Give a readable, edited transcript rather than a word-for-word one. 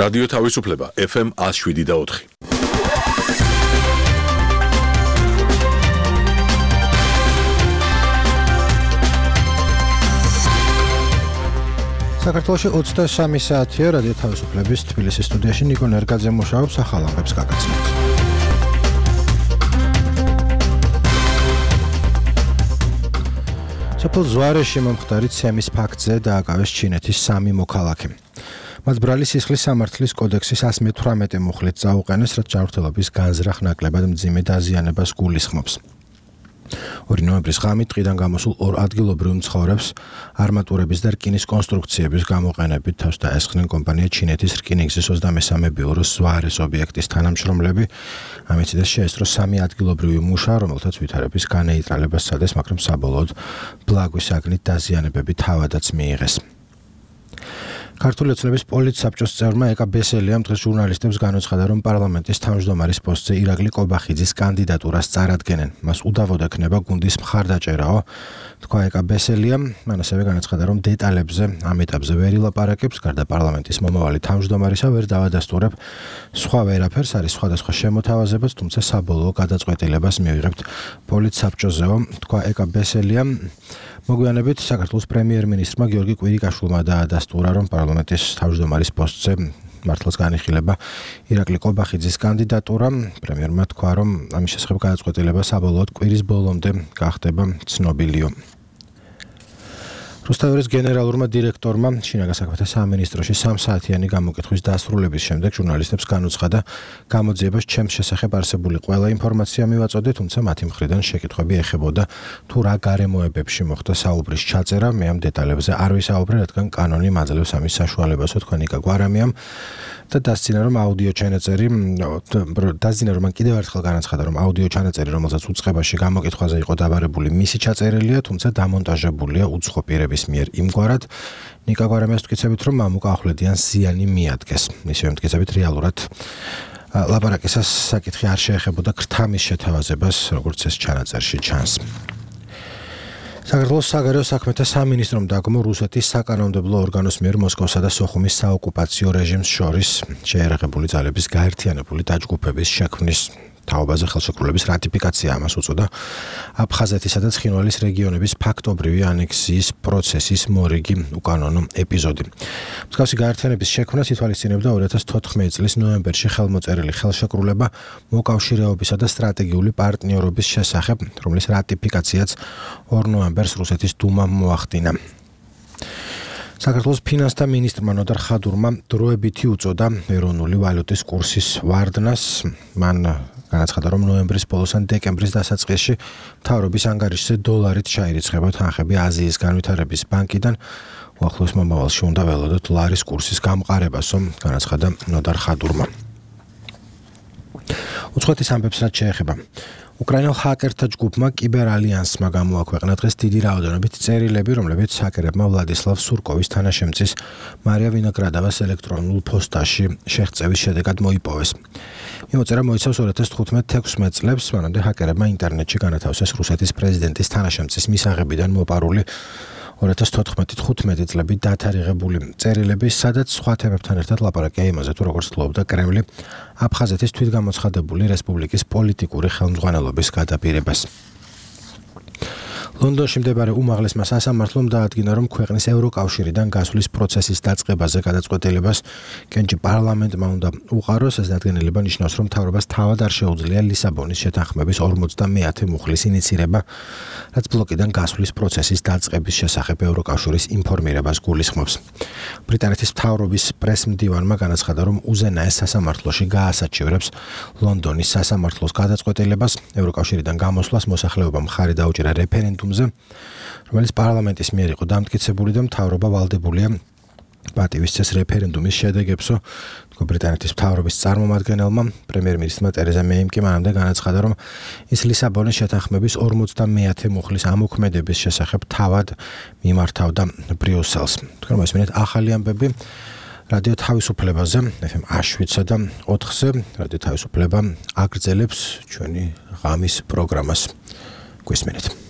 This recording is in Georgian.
რადიო თავისუფლება FM 107.4. საქართველოში 23 საათია რადიო თავისუფლების თბილისის სტუდიაში ნიკო ნერგაძე მუშაობს ახალ ამბებს გაგაცნობთ. სოფელ ზვარეში მომხდარი ცემის ფაქტზე დააკავეს ჩინეთის 3 მოქალაქე. მათ ბრალი სისხლის სამართლის კოდექსის 118 მუხლით წაუყენეს, რაც ჯანმრთელობის განზრახ ნაკლებად მძიმე დაზიანებას გულისხმობს. 2 ნოემბრის ღამით ტყიდან გამოსულ 2 ადგილობრივ მცხოვრებს არმატურების და რკინის კონსტრუქციების გამოყენებით თავს დაესხნენ კომპანია ჩინეთის რკინიგზის 23 ბიუროს ზვარეს ობიექტის თანამშრომლები. ამით შეესწრო 3 ადგილობრივი მუშა, რომელთაც ვითარების განეიტრალებას სცადეს, მაგრამ საბოლოოდ ბლაგვის აგნით დაზიანებები თავადაც მიიღეს. ქართული ოცნების პოლიტსაბჭოს წევრმა ეკა ბესელიამ დღეს ჟურნალისტებს განაცხადა, რომ პარლამენტის თავმჯდომარის პოსტზე ირაკლი კობახიძის კანდიდატურას წარადგენენ. მას უდავოდ ექნება გუნდის მხარდაჭერაო, თქვა ეკა ბესელიამ. მან ასევე განაცხადა, რომ დეტალებზე ამ ეტაპზე ვერ ილაპარაკებს, გარდა პარლამენტის მომავალი თავმჯდომარისა ვერ დავადასტურებ სხვა ვერაფერს, არის სხვადასხვა შემოთავაზებაც, თუმცა საბოლოო გადაწყვეტილებას მივიღებთ პოლიტსაბჭოზეო, თქვა ეკა ბესელიამ. მოგვიანებით საქართველოს პრემიერ-მინისტრმა გიორგი კვირიკაშვილმა დაადასტურა, რომ პარლამენტის თავმჯდომარის პოსტზე მართლაც განიხილება ირაკლი კობახიძის კანდიდატურა. პრემიერმა თქვა, რომ ამის შესახებ გადაწყვეტილება საბოლოოდ კვირის ბოლომდე გახდება ცნობილიო. რუსთავის გენერალურმა დირექტორმა შინაგან საქმეთა სამინისტროში 3 საათიანი გამოკითხვის დასრულების შემდეგ ჟურნალისტებს განუცხადა, გამოძიებას ჩემს შესახებ არსებული ყველა ინფორმაცია მივაწოდე, თუმცა მათი მხრიდან შეკითხვები ეხებოდა თუ რა გარემოებებში მოხდა საუბრის ჩაწერა. მე ამ დეტალებზე არ ვისაუბრე, რადგან კანონი მაძლევს ამის საშუალებასო, თქვა ნიკა გვარამიამ და დასძინა, რომ მან კიდევ ერთხელ განაცხადა, რომ აუდიო ჩანაწერი, რომელსაც უწყებაში გამოკითხვაზე იყო დაბარებული, მისი ჩაწერილია, თუმცა დამონტაჟებულია უცხო პირების მიერ იმგვარად. ნიკა გვარამიას მტკიცებით, რომ მამუკა ახვლედიან ზიანი მიადგეს. მისივე მტკიცებით, რეალურად ლაპარაკისას საკითხი არ შეეხებოდა ქრთამის შეთავაზებას, როგორც ეს ჩანაწერში ჩანს. საქართველოს საგარეო საქმეთა სამინისტრომ დაგმო რუსეთის საკანონმდებლო ორგანოს მიერ მოსკოვსა და სოხუმის საოკუპაციო რეჟიმს შორის შეერაღებული ძალების გაერთიანებული დაჯგუფების შექმნის თაობაზე ხელშეკრულების რატიფიკაცია. ამას უწოდა აფხაზეთისა და ცხინვალის რეგიონების ფაქტობრივი ანექსიის პროცესის მორიგი უკანონო ეპიზოდი. მსგავსი გაერთიანების შექმნას ითვალისწინებდა 2014 წლის ნოემბერში ხელმოწერილი ხელშეკრულება მოკავშირეობისა და სტრატეგიული პარტნიორობის შესახებ, რომლის რატიფიკაციაც 2 ნოემბერს რუსეთის დუმამ მოახდინა. საქართველოს ფინანსთა მინისტრმა ნოდარ ხადურმა დროებითი უწოდა ეროვნული ვალუტის კურსის ვარდნას. მან განაცხადა, რომ ნოემბრის ბოლოს ან დეკემბრის დასაწყისში მთავრობის ანგარიშზე დოლარით ჩაირიცხება თანხები აზიის განვითარების ბანკიდან. უახლოეს მომავალში უნდა ველოდოთ ლარის კურსის გამყარებასო, განაცხადა ნოდარ ხადურმა. უცხოეთის ამბებს რაც შეეხება. უკრაინელ ჰაკერთა ჯგუფმა კიბერ ალიანსმა გამოაქვეყნა დღეს დიდი რაოდენობით წერილები, რომლებიც ჰაკერებმა ვლადისლავ სურკოვის თანაშემწის მარია ვინოგრადოვას ელექტრონულ პოსტაში შეღწევის შედეგად მოიპოვეს. მიმოწერა მოიცავს 2015-16 წლებს, მანამდე ჰაკერებმა ინტერნეტში განათავსეს რუსეთის პრეზიდენტის თანაშემწის მისაღებიდან მოპარული 2014-15 წლები დათარიღებული წერილები, სადაც სხვა თემებთან ერთად ლაპარაკია იმაზე, თუ როგორც ცდილობდა კრემლი აფხაზეთის თვითგამოცხადებული რესპუბლიკის პოლიტიკური ხელმძღვანელობის გადაპირებას. ლონდონში მდებარე უმაღლესმა სასამართლომ დაადგინა, რომ ქვეყნის ევროკავშირიდან გასვლის პროცესის დაწყებაზე გადაწყვეტილებას კენჭი პარლამენტმა უნდა უყაროს. ეს დადგენილება ნიშნავს, რომ მთავრობას თავად არ შეუძლია ლისაბონის შეთანხმების 50 მუხლის ინიცირება, რაც ბლოკიდან გასვლის პროცესის დაწყების შესახებ ევროკავშირის ინფორმირებას გულისხმობს. ბრიტანეთის მთავრობის პრესმდივანმა განაცხადა, რომ უზენაეს სასამართლოში გაასაჩივრებს ლონდონის სასამართლოს გადაწყვეტილებას. ევროკავშირიდან გამოსვლას მოსახლეობამ მხარი დაუჭირა რეფერენდუმ, რომელიც პარლამენტის მიერ იყო დამტკიცებული და მთავრობა ვალდებულია პატივისცეს რეფერენდუმის შედეგებსო, თქვა ბრიტანეთის მთავრობის წარმომადგენელმა. პრემიერ-მინისტრმა ტერეზა მეიმ კი მანამდე განაცხადა, რომ ის ლისაბონის შეთანხმების 50 მუხლის ამოქმედების შესახებ თავად მიმართავდა ბრიუსელს. თქვენ მოსმენთ ახალი ამბები რადიო თავისუფლებაზე FM 107 და 4-ზე. რადიო თავისუფლება აგრძელებს ჩვენი ღამის პროგრამას. გვესმენთ.